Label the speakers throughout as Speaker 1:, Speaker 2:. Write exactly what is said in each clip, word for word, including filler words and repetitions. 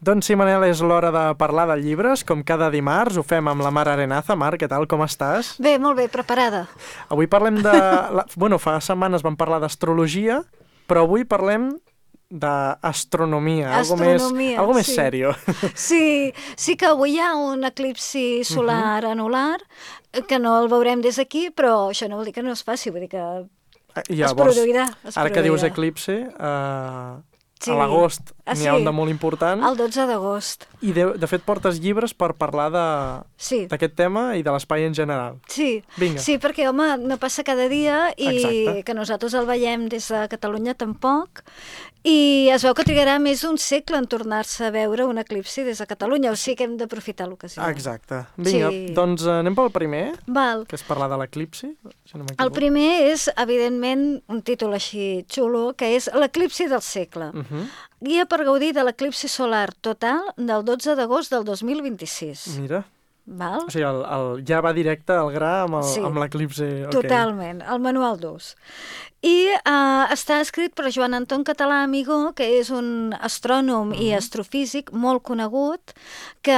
Speaker 1: Doncs sí, Manel, és l'hora de parlar de llibres. Com cada dimarts, ho fem amb la Mar Arenaza. Mar, què tal, com estàs?
Speaker 2: Bé, molt bé, preparada.
Speaker 1: Avui parlem de... La... Bueno, fa setmanes vam parlar d'astrologia, però avui parlem d'astronomia, algo més, algo més
Speaker 2: sí.
Speaker 1: sèrio.
Speaker 2: Sí, sí que avui hi ha un eclipsi solar uh-huh. anular, que no el veurem des d'aquí, però això no vol dir que no es faci, vull dir que Llavors, es produirà. Es
Speaker 1: ara
Speaker 2: produirà.
Speaker 1: Que dius eclipsi... Uh...
Speaker 2: Sí.
Speaker 1: A l'agost
Speaker 2: ah,
Speaker 1: n'hi ha
Speaker 2: sí.
Speaker 1: un de molt important.
Speaker 2: El dotze d'agost.
Speaker 1: I de, de fet portes llibres per parlar
Speaker 2: sí.
Speaker 1: d'aquest tema i de l'espai en general.
Speaker 2: Sí.
Speaker 1: Vinga.
Speaker 2: Sí, perquè, home, no passa cada dia i
Speaker 1: Exacte.
Speaker 2: Que nosaltres el veiem des de Catalunya tampoc. I es veu que trigarà més d'un segle en tornar-se a veure un eclipsi des de Catalunya, o sigui que hem d'aprofitar l'ocasió.
Speaker 1: Exacte. Vinga,
Speaker 2: sí.
Speaker 1: doncs anem pel primer,
Speaker 2: Val.
Speaker 1: que és parlar de l'eclipsi. Si no
Speaker 2: el primer és, evidentment, un títol així xulo, que és l'eclipsi del segle.
Speaker 1: Uh-huh.
Speaker 2: Guia per gaudir de l'eclipsi solar total del dotze d'agost del dos mil vint-i-sis.
Speaker 1: Mira.
Speaker 2: Val?
Speaker 1: O sigui, el, el, ja va directe al gra amb, el,
Speaker 2: sí.
Speaker 1: amb l'eclipsi. Okay.
Speaker 2: Totalment, el manual d'ús. I uh, està escrit per Joan Anton Català Amigó, que és un astrònom uh-huh. i astrofísic molt conegut, que,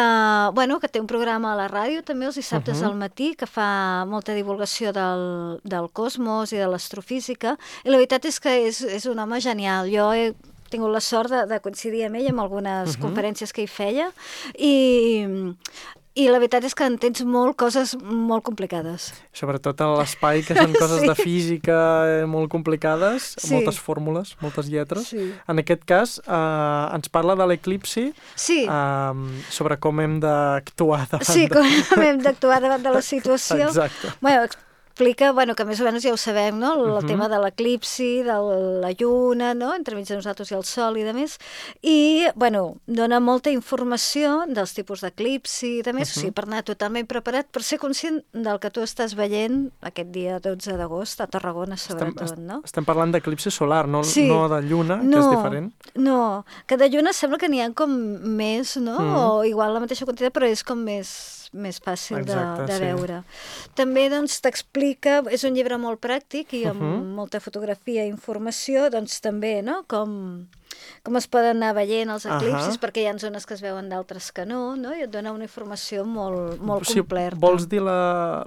Speaker 2: bueno, que té un programa a la ràdio també els dissabtes uh-huh. al matí, que fa molta divulgació del, del cosmos i de l'astrofísica, i la veritat és que és, és un home genial. Jo he tingut la sort de, de coincidir amb ell en algunes uh-huh. conferències que hi feia, i... I la veritat és que entens molt coses molt complicades.
Speaker 1: Sobretot a l'espai, que són coses sí. de física molt complicades,
Speaker 2: sí.
Speaker 1: moltes fórmules, moltes lletres.
Speaker 2: Sí.
Speaker 1: En aquest cas, eh, ens parla de l'eclipsi,
Speaker 2: sí.
Speaker 1: eh, sobre com hem d'actuar davant...
Speaker 2: Sí, com hem d'actuar davant de la situació.
Speaker 1: Exacte.
Speaker 2: Bueno, explica, bueno, que més o menys ja ho sabem, no? El uh-huh. tema de l'eclipsi, de la lluna, no? Entremig de nosaltres i el sol i de més. I, bueno, dona molta informació dels tipus d'eclipsi i de més, uh-huh. o sigui, per anar totalment preparat, per ser conscient del que tu estàs veient aquest dia dotze d'agost a Tarragona, sobretot, estem, no?
Speaker 1: Estem parlant d'eclipsi solar, no,
Speaker 2: sí.
Speaker 1: no de lluna,
Speaker 2: no,
Speaker 1: que és diferent.
Speaker 2: No, que de lluna sembla que n'hi ha com més, no? Uh-huh. O igual la mateixa quantitat, però és com més... més fàcil
Speaker 1: Exacte,
Speaker 2: de, de
Speaker 1: sí.
Speaker 2: veure. També doncs, t'explica, és un llibre molt pràctic i amb uh-huh. molta fotografia i informació, doncs també, no?, com, com es poden anar veient els eclipsis, uh-huh. perquè hi ha zones que es veuen d'altres que no, no?, i et dona una informació molt, molt
Speaker 1: si
Speaker 2: completa.
Speaker 1: Vols dir la,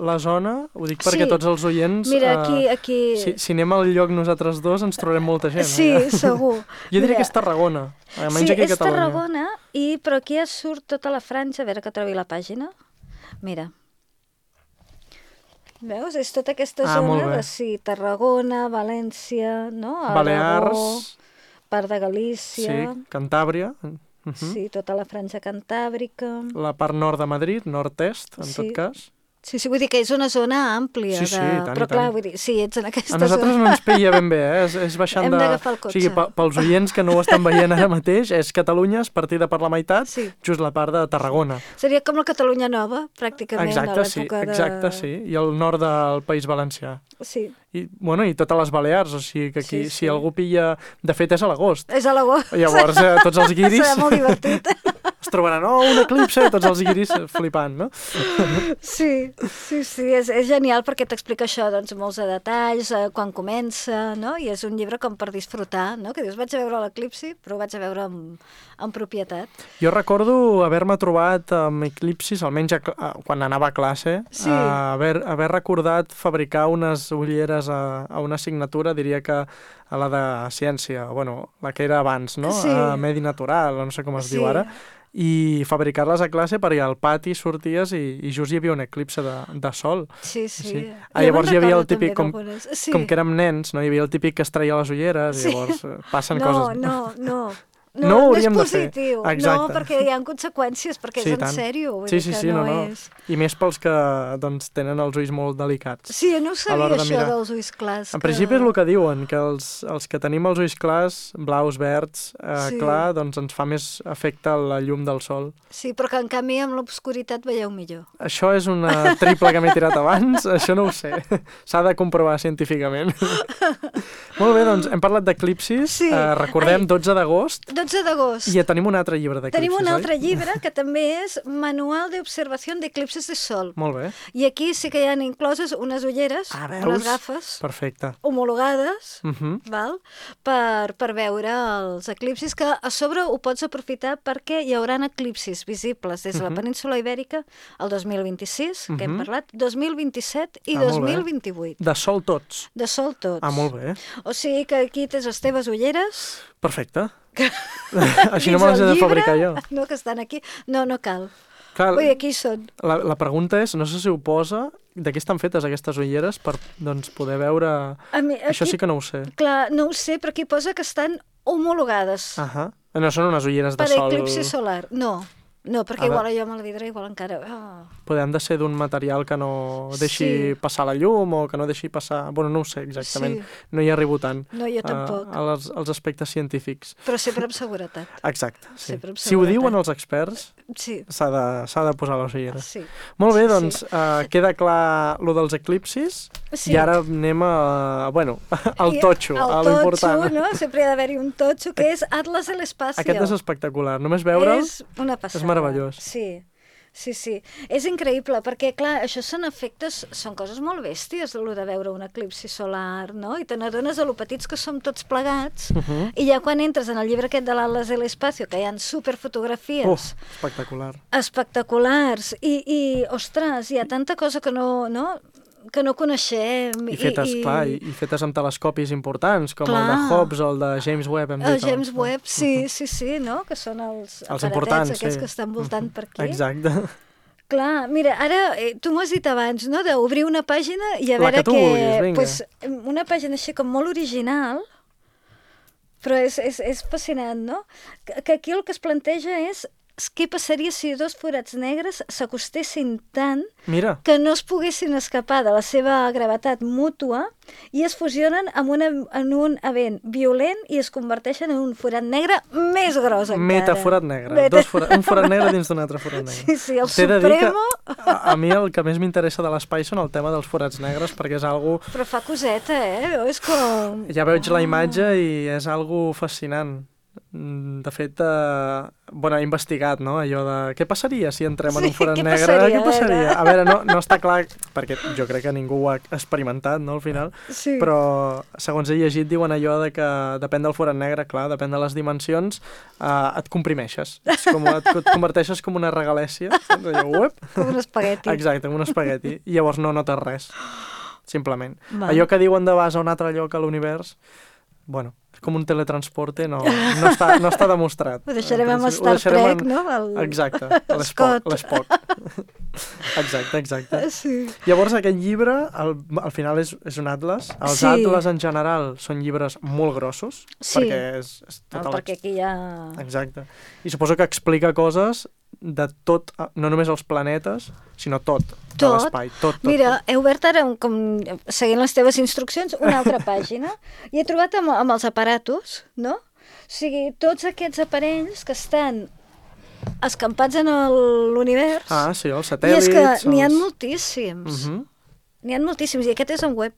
Speaker 1: la zona? Ho dic perquè
Speaker 2: sí.
Speaker 1: tots els oients...
Speaker 2: Mira, aquí... aquí...
Speaker 1: Si, si anem al lloc nosaltres dos, ens trobarem molta gent.
Speaker 2: Sí,
Speaker 1: eh?
Speaker 2: segur.
Speaker 1: Jo diria Mira. que és Tarragona.
Speaker 2: Sí, és Catalunya. Tarragona, i, però aquí ja surt tota la franja, a veure que trobi la pàgina. Mira. Veus? És tota aquesta
Speaker 1: ah,
Speaker 2: zona de sí, Tarragona, València, no?
Speaker 1: Balears,
Speaker 2: part de Galícia.
Speaker 1: Sí, Cantàbria. Uh-huh.
Speaker 2: Sí, tota la franja cantàbrica.
Speaker 1: La part nord de Madrid, nord-est, en
Speaker 2: sí.
Speaker 1: tot cas.
Speaker 2: Sí, sí, vull dir que és una zona àmplia.
Speaker 1: Sí, sí,
Speaker 2: de...
Speaker 1: tant,
Speaker 2: Però clar,
Speaker 1: tant.
Speaker 2: vull dir, sí, ets en aquesta
Speaker 1: zona.
Speaker 2: A
Speaker 1: nosaltres
Speaker 2: zona.
Speaker 1: no ens pilla ben bé, eh? És, és baixant
Speaker 2: Hem
Speaker 1: de...
Speaker 2: d'agafar el cotxe.
Speaker 1: O sigui, pels oients que no ho estan veient ara mateix, és Catalunya, és partida per la meitat,
Speaker 2: sí.
Speaker 1: just la part de Tarragona.
Speaker 2: Seria com la Catalunya Nova, pràcticament,
Speaker 1: exacte,
Speaker 2: a l'època
Speaker 1: sí,
Speaker 2: de...
Speaker 1: Exacte, sí, i el nord del País Valencià.
Speaker 2: Sí.
Speaker 1: I, bueno, i totes les Balears, o sigui que aquí,
Speaker 2: sí, sí.
Speaker 1: si algú pilla... De fet, és a l'agost.
Speaker 2: És a l'agost.
Speaker 1: Llavors, eh, tots els guiris...
Speaker 2: Serà molt divertit.
Speaker 1: Es trobaran, oh, un eclipse, tots els guiris flipant, no?
Speaker 2: Sí, sí, sí, és, és genial perquè t'explica això, doncs, molts de detalls, eh, quan comença, no? I és un llibre com per disfrutar, no? Que dius, vaig a veure l'eclipsi, però ho vaig a veure amb, amb propietat.
Speaker 1: Jo recordo haver-me trobat amb eclipsis, almenys a, a, quan anava a classe,
Speaker 2: sí.
Speaker 1: a haver, haver recordat fabricar unes ulleres a, a una assignatura, diria que a la de ciència, bueno, la que era abans, no?
Speaker 2: Sí.
Speaker 1: A Medi Natural, no sé com es
Speaker 2: sí.
Speaker 1: diu ara, i fabricar-les a classe perquè al pati sorties i, i just hi havia un eclipse de, de sol.
Speaker 2: Sí, sí. sí.
Speaker 1: Ah, llavors hi havia el típic, com,
Speaker 2: sí.
Speaker 1: com que érem nens, no? Hi havia el típic que es traia les ulleres sí. i llavors passen
Speaker 2: no,
Speaker 1: coses.
Speaker 2: No, no, no.
Speaker 1: No,
Speaker 2: no,
Speaker 1: no
Speaker 2: no és
Speaker 1: de
Speaker 2: positiu,
Speaker 1: fer.
Speaker 2: no, perquè hi ha conseqüències, perquè
Speaker 1: sí,
Speaker 2: és en
Speaker 1: tant.
Speaker 2: sèrio. Vull
Speaker 1: sí,
Speaker 2: dir
Speaker 1: sí,
Speaker 2: que
Speaker 1: sí, no,
Speaker 2: no,
Speaker 1: no.
Speaker 2: És...
Speaker 1: I més pels que doncs, tenen els ulls molt delicats.
Speaker 2: Sí, no ho sabia
Speaker 1: de
Speaker 2: això
Speaker 1: mirar.
Speaker 2: dels ulls clars.
Speaker 1: En
Speaker 2: que...
Speaker 1: principi és el que diuen, que els, els que tenim els ulls clars, blaus, verds, eh,
Speaker 2: sí.
Speaker 1: clar, doncs ens fa més efecte la llum del sol.
Speaker 2: Sí, però que en canvi amb l'obscuritat veieu millor.
Speaker 1: Això és una triple que m'he tirat abans, això no ho sé. S'ha de comprovar científicament. Molt bé, doncs hem parlat d'eclipsis,
Speaker 2: sí.
Speaker 1: eh, recordem Ai. dotze d'agost.
Speaker 2: dotze dotze d'agost.
Speaker 1: I ja tenim un altre llibre d'eclipsis,
Speaker 2: Tenim un
Speaker 1: oi?
Speaker 2: altre llibre que també és Manual de Observación de Eclipses de Sol.
Speaker 1: Molt bé.
Speaker 2: I aquí sí que hi ha incloses unes ulleres,
Speaker 1: Ah, veus?
Speaker 2: unes gafes
Speaker 1: Perfecte.
Speaker 2: homologades,
Speaker 1: Uh -huh.
Speaker 2: val? Per, per veure els eclipsis, que a sobre ho pots aprofitar perquè hi haurà eclipsis visibles des de la
Speaker 1: Uh -huh.
Speaker 2: península Ibèrica el dos mil vint-i-sis, que hem
Speaker 1: Uh-huh.
Speaker 2: parlat, dos mil vint-i-set i
Speaker 1: Ah, molt
Speaker 2: dos mil
Speaker 1: bé.
Speaker 2: vint-i-vuit.
Speaker 1: De sol tots.
Speaker 2: De sol tots.
Speaker 1: Ah, molt bé.
Speaker 2: O sigui que aquí tens les teves ulleres.
Speaker 1: Perfecte. Així no
Speaker 2: Dins
Speaker 1: me les he
Speaker 2: el
Speaker 1: de
Speaker 2: llibre,
Speaker 1: fabricar jo.
Speaker 2: No, que estan aquí. No, no cal.
Speaker 1: Clar,
Speaker 2: Ui, aquí són.
Speaker 1: la, la pregunta és, no sé si ho posa, de què estan fetes aquestes ulleres per doncs, poder veure...
Speaker 2: A mi, aquí,
Speaker 1: Això sí que no ho sé.
Speaker 2: Clar, no ho sé, però aquí posa que estan homologades
Speaker 1: Ahà. No són unes ulleres de
Speaker 2: per
Speaker 1: sol...
Speaker 2: eclipsi solar. No, no, perquè
Speaker 1: A
Speaker 2: igual jo me la vidré, igual encara... Oh.
Speaker 1: Poder han de ser d'un material que no deixi
Speaker 2: Sí.
Speaker 1: passar la llum o que no deixi passar... Bueno, no ho sé exactament.
Speaker 2: Sí.
Speaker 1: No hi arribo tant
Speaker 2: No, jo tampoc.
Speaker 1: a, als, als aspectes científics.
Speaker 2: Però sempre amb seguretat.
Speaker 1: Exacte, sí.
Speaker 2: Sempre amb
Speaker 1: Si ho
Speaker 2: seguretat.
Speaker 1: diuen els experts,
Speaker 2: Sí,
Speaker 1: s'ha de, s'ha de posar les ulleres.
Speaker 2: sí.
Speaker 1: Molt bé,
Speaker 2: Sí,
Speaker 1: doncs
Speaker 2: sí.
Speaker 1: eh, queda clar lo dels eclipsis
Speaker 2: Sí.
Speaker 1: i ara anem a, bueno, al
Speaker 2: I
Speaker 1: totxo,
Speaker 2: el
Speaker 1: a
Speaker 2: totxo,
Speaker 1: l'important.
Speaker 2: no? Sempre hi ha d'haver-hi un totxo, que és Atlas de l'Espacio.
Speaker 1: Aquest és espectacular, només veure'l
Speaker 2: És una passada.
Speaker 1: és meravellós.
Speaker 2: Sí, sí, sí. És increïble, perquè, clar, això són efectes, són coses molt bèsties, el de veure un eclipsi solar, no? I te n'adones de lo petits que som tots plegats,
Speaker 1: Uh -huh.
Speaker 2: i ja quan entres en el llibre aquest de l'Atlas de l'Espacio, que hi ha superfotografies
Speaker 1: Uf, espectacular.
Speaker 2: espectaculars, i, i, ostres, hi ha tanta cosa que no, no, que no coneixem.
Speaker 1: I fetes, i, clar, i, i fetes amb telescopis importants, com clar. el de
Speaker 2: Clar.
Speaker 1: Hobbs o el de James Webb, hem dit.
Speaker 2: El James
Speaker 1: no?
Speaker 2: Webb, sí, sí, sí, no? Que són els,
Speaker 1: Els
Speaker 2: aparatets
Speaker 1: importants,
Speaker 2: aquests
Speaker 1: sí.
Speaker 2: que estan voltant per aquí.
Speaker 1: Exacte.
Speaker 2: Clar, mira, ara, eh, tu m'ho has dit abans, no?, d'obrir una pàgina i a
Speaker 1: La
Speaker 2: veure
Speaker 1: que tu vulguis, vinga.
Speaker 2: Pues, una pàgina així com molt original, però és, és, és fascinant, no? Que, que aquí el que es planteja és què passaria si dos forats negres s'acostessin tant
Speaker 1: Mira,
Speaker 2: que no es poguessin escapar de la seva gravetat mútua i es fusionen amb una, en un event violent i es converteixen en un forat negre més gros encara.
Speaker 1: metaforat negre.
Speaker 2: Meta...
Speaker 1: Dos fora... Un forat negre dins d'un altre forat negre.
Speaker 2: Sí, sí, el
Speaker 1: T'he de dir que
Speaker 2: Supremo...
Speaker 1: a, a mi el que més m'interessa de l'espai són el tema dels forats negres, perquè és algo...
Speaker 2: Però fa coseta, eh? És com...
Speaker 1: Ja veig la imatge i és algo fascinant. Mm, De fet, eh, bueno, he investigat, no?, allò de què passaria si entrem en
Speaker 2: Sí,
Speaker 1: un forat
Speaker 2: què
Speaker 1: negre?
Speaker 2: passaria,
Speaker 1: què passaria?
Speaker 2: era?
Speaker 1: A veure, no, no està clar, perquè jo crec que ningú ho ha experimentat, no?, al final,
Speaker 2: Sí.
Speaker 1: però segons he llegit diuen allò de que depèn del forat negre, clar, depèn de les dimensions, eh, et comprimeixes, és com, et, et converteixes com una regalèssia, saps? Allò, uep.
Speaker 2: Com un espagueti.
Speaker 1: Exacte, com un espagueti, i llavors no notes res, simplement.
Speaker 2: Va.
Speaker 1: Allò que diuen de vas a un altre lloc a l'univers, bueno, és com un teletransporte, no, no, està, no està demostrat.
Speaker 2: Ho deixarem amb
Speaker 1: Ho
Speaker 2: Star
Speaker 1: deixarem
Speaker 2: Trek,
Speaker 1: en-
Speaker 2: no? El...
Speaker 1: Exacte,
Speaker 2: Scott.
Speaker 1: l'Spock, l'Spock. Exacte, exacte.
Speaker 2: Sí.
Speaker 1: Llavors aquest llibre, al, al final és, és un atles. Els
Speaker 2: Sí.
Speaker 1: atles en general són llibres molt grossos,
Speaker 2: Sí.
Speaker 1: perquè és, és
Speaker 2: No,
Speaker 1: tot
Speaker 2: perquè aquí hi ha...
Speaker 1: Exacte. I suposo que explica coses de tot, no només els planetes, sinó tot, de
Speaker 2: Tot.
Speaker 1: l'espai. Tot, tot,
Speaker 2: Mira, he obert ara, un, com, seguint les teves instruccions, una altra pàgina i he trobat amb, amb els aparatos, no? O sigui, tots aquests aparells que estan escampats en el- l'univers.
Speaker 1: Ah, sí, els
Speaker 2: I
Speaker 1: satèl·lits...
Speaker 2: és que n'hi ha
Speaker 1: els...
Speaker 2: moltíssims.
Speaker 1: Mhm.
Speaker 2: N'hi ha moltíssims, i aquest és en web.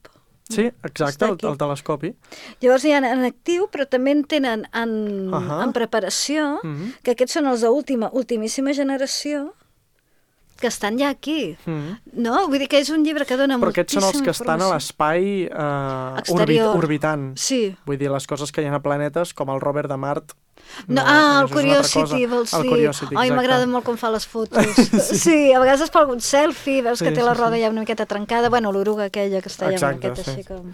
Speaker 1: Sí, exacte,
Speaker 2: Està
Speaker 1: el,
Speaker 2: aquí.
Speaker 1: el telescopi.
Speaker 2: Llavors hi ha en actiu, però també en tenen en,
Speaker 1: Ahà.
Speaker 2: en preparació,
Speaker 1: Mhm.
Speaker 2: que aquests són els d'última, ultimíssima generació, que estan ja aquí.
Speaker 1: Mhm.
Speaker 2: No? Vull dir que és un llibre que dona
Speaker 1: Però aquests
Speaker 2: moltíssima
Speaker 1: són els que estan a
Speaker 2: informació.
Speaker 1: l'espai eh, orbit,
Speaker 2: Exterior.
Speaker 1: orbitant.
Speaker 2: Sí.
Speaker 1: Vull dir, les coses que hi ha a planetes, com el rover de Mart...
Speaker 2: No, ah, el
Speaker 1: això és una altra
Speaker 2: Curiosity,
Speaker 1: cosa.
Speaker 2: vols
Speaker 1: El
Speaker 2: dir?
Speaker 1: Curiosity,
Speaker 2: Ai,
Speaker 1: exacte.
Speaker 2: m'agrada molt com fa les fotos. sí. sí, a vegades es fa algun selfie, veus
Speaker 1: Sí,
Speaker 2: que té la
Speaker 1: sí,
Speaker 2: roda
Speaker 1: sí.
Speaker 2: ja una miqueta trencada. Bueno, l'oruga aquella que està ja una
Speaker 1: Exacte,
Speaker 2: miqueta
Speaker 1: sí.
Speaker 2: així com...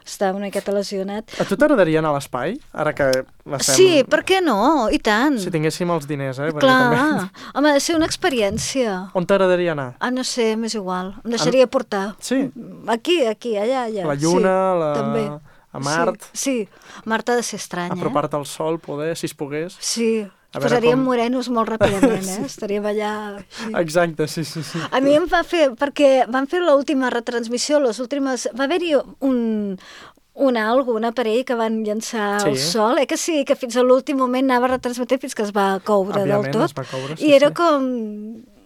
Speaker 2: Està una miqueta lesionat.
Speaker 1: A tu t'agradaria anar a l'espai? Ara que l'estem...
Speaker 2: Sí, per què no? I tant.
Speaker 1: Si tinguéssim els diners, eh? Perquè
Speaker 2: Clar.
Speaker 1: També...
Speaker 2: Home, ha de ser una experiència.
Speaker 1: On t'agradaria anar?
Speaker 2: Ah, no sé, m'és igual. Em deixaria portar.
Speaker 1: Sí,
Speaker 2: Aquí, aquí, allà, allà.
Speaker 1: la Lluna,
Speaker 2: sí,
Speaker 1: la...
Speaker 2: també.
Speaker 1: a Mart,
Speaker 2: Sí, sí. Mart ha de ser estrany, eh?
Speaker 1: apropar-te al sol, poder, si es pogués.
Speaker 2: Sí,
Speaker 1: A
Speaker 2: ens
Speaker 1: veure
Speaker 2: posaríem
Speaker 1: com-
Speaker 2: morenos molt ràpidament, eh? Estaríem allà... Així.
Speaker 1: Exacte, sí, sí, sí.
Speaker 2: A mi em va fer, perquè van fer l'última retransmissió, les últimes... Va haver-hi un, un algo, un aparell que van llançar
Speaker 1: Sí.
Speaker 2: al sol, eh que sí, que fins a l'últim moment anava retransmetent fins que es va coure
Speaker 1: Òbviament,
Speaker 2: del tot.
Speaker 1: es va coure, sí,
Speaker 2: I era
Speaker 1: sí.
Speaker 2: com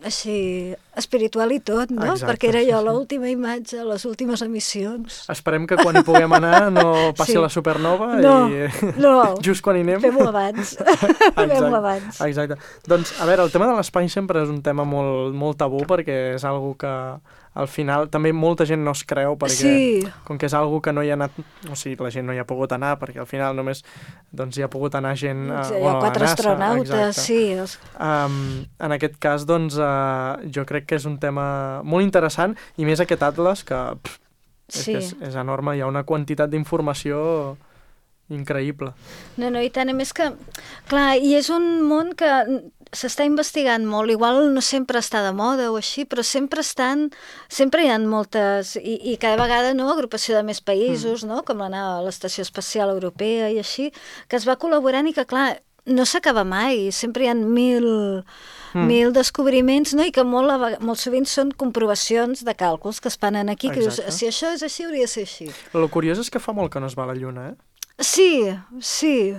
Speaker 2: així espiritual i tot, no?
Speaker 1: Exacte,
Speaker 2: Perquè era
Speaker 1: sí,
Speaker 2: jo
Speaker 1: sí.
Speaker 2: l'última imatge, les últimes emissions.
Speaker 1: Esperem que quan hi puguem anar no passi
Speaker 2: Sí.
Speaker 1: la supernova
Speaker 2: No,
Speaker 1: i
Speaker 2: no.
Speaker 1: just quan hi anem...
Speaker 2: Fem-ho abans. Fem-ho abans.
Speaker 1: Exacte. Doncs, a veure, el tema de l'espai sempre és un tema molt, molt tabú perquè és algo que al final també molta gent no es creu perquè
Speaker 2: Sí.
Speaker 1: com que és algo que no hi ha anat, o sigui, la gent no hi ha pogut anar perquè al final només doncs, hi ha pogut anar gent... Uh,
Speaker 2: Sí, hi ha quatre
Speaker 1: a NASA,
Speaker 2: astronautes,
Speaker 1: exacte.
Speaker 2: sí. Els...
Speaker 1: Um, en aquest cas, doncs, uh, jo crec que és un tema molt interessant i més aquest atles que, pff, és,
Speaker 2: Sí.
Speaker 1: que és, és enorme, hi ha una quantitat d'informació increïble.
Speaker 2: No, no, i tant, a més que, clar, i és un món que s'està investigant molt, igual no sempre està de moda o així, però sempre estan, sempre hi ha moltes, i, i cada vegada, no, agrupació de més països, mm. no, com anar a l'Estació Espacial Europea i així, que es va col·laborant i que, clar, no s'acaba mai, sempre hi ha mil, mm. mil descobriments, no? I que molt, a veg- molt sovint són comprovacions de càlculs que es fan aquí, que dius,
Speaker 1: Exacte.
Speaker 2: si això és així, hauria de ser així.
Speaker 1: El curiós és que fa molt que no es va a la Lluna, eh?
Speaker 2: Sí, sí.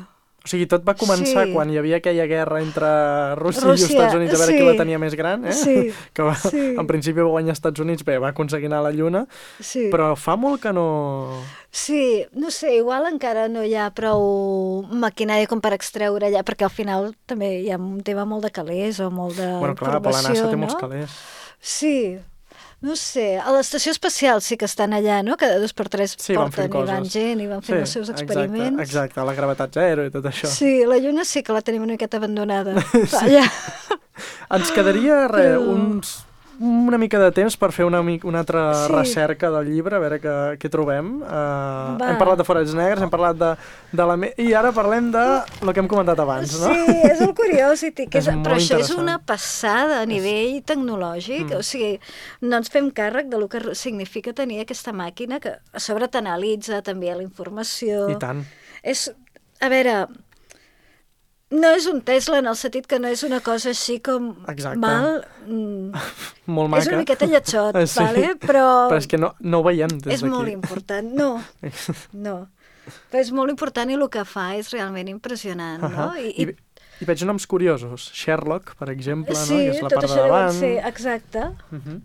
Speaker 1: O sigui, tot va començar
Speaker 2: Sí.
Speaker 1: quan hi havia aquella guerra entre Rússia,
Speaker 2: Rússia,
Speaker 1: i els Estats Units a veure
Speaker 2: sí.
Speaker 1: qui la tenia més gran, eh?
Speaker 2: Sí,
Speaker 1: Que va,
Speaker 2: sí.
Speaker 1: en principi va guanyar els Estats Units, bé, va aconseguir anar a la Lluna,
Speaker 2: Sí.
Speaker 1: però fa molt que no...
Speaker 2: Sí, no sé, igual encara no hi ha prou maquinària com per extreure allà, perquè al final també hi ha un tema molt de calés o molt de
Speaker 1: Bueno, clar, però la
Speaker 2: informació,
Speaker 1: NASA té
Speaker 2: no?
Speaker 1: molts calés.
Speaker 2: Sí, no sé, a l'estació espacial sí que estan allà, no? Cada dos per tres
Speaker 1: Sí, van fent
Speaker 2: porten i van
Speaker 1: coses.
Speaker 2: gent i van fent els seus experiments.
Speaker 1: Exacte, exacte, la gravetat zero i tot això.
Speaker 2: Sí, la Lluna sí que la tenim una miqueta abandonada. Allà.
Speaker 1: Ens quedaria re,
Speaker 2: Però-
Speaker 1: uns, una mica de temps per fer una, mi- una altra
Speaker 2: Sí.
Speaker 1: recerca del llibre, a veure què, què trobem. Uh,
Speaker 2: Va.
Speaker 1: hem parlat de forats negres, hem parlat de, de la... Me I ara parlem de el que hem comentat abans, no?
Speaker 2: Sí, és el Curiosity, que
Speaker 1: És
Speaker 2: és,
Speaker 1: molt
Speaker 2: però això és
Speaker 1: interessant.
Speaker 2: una passada a nivell tecnològic,
Speaker 1: Mm.
Speaker 2: o sigui, no ens fem càrrec del que significa tenir aquesta màquina que a sobre t'analitza també la informació.
Speaker 1: I tant.
Speaker 2: És, a veure, no és un Tesla en el sentit que no és una cosa així com
Speaker 1: Exacte.
Speaker 2: mal... Mm,
Speaker 1: Molt maca.
Speaker 2: és una miqueta lletjot,
Speaker 1: Sí.
Speaker 2: vale? però,
Speaker 1: Però és que no, no ho veiem des
Speaker 2: és
Speaker 1: d'aquí.
Speaker 2: molt important. No, no. Però és molt important i el que fa és realment impressionant,
Speaker 1: Uh
Speaker 2: no?
Speaker 1: -huh.
Speaker 2: I,
Speaker 1: I, I veig noms curiosos. Sherlock, per exemple,
Speaker 2: sí,
Speaker 1: no? que és la
Speaker 2: tot
Speaker 1: part de
Speaker 2: això deu
Speaker 1: davant.
Speaker 2: ser, exacte.
Speaker 1: Uh -huh.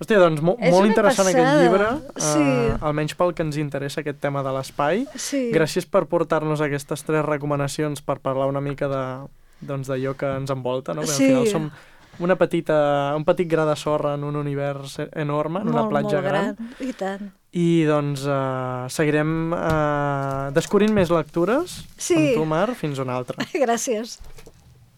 Speaker 1: Hòstia, doncs mo
Speaker 2: És
Speaker 1: molt
Speaker 2: una
Speaker 1: interessant
Speaker 2: passada,
Speaker 1: aquest llibre,
Speaker 2: sí.
Speaker 1: uh, almenys pel que ens interessa aquest tema de l'espai.
Speaker 2: Sí.
Speaker 1: Gràcies per portar-nos aquestes tres recomanacions per parlar una mica de doncs d'allò que ens envolta, no? Perquè
Speaker 2: Sí.
Speaker 1: al final som una petita, un petit gra de sorra en un univers enorme, en una
Speaker 2: molt,
Speaker 1: platja
Speaker 2: molt
Speaker 1: gran.
Speaker 2: gran. I tant.
Speaker 1: I doncs uh, seguirem uh, descobrint més lectures
Speaker 2: Sí.
Speaker 1: amb tu, Mar, fins una altra.
Speaker 2: Gràcies.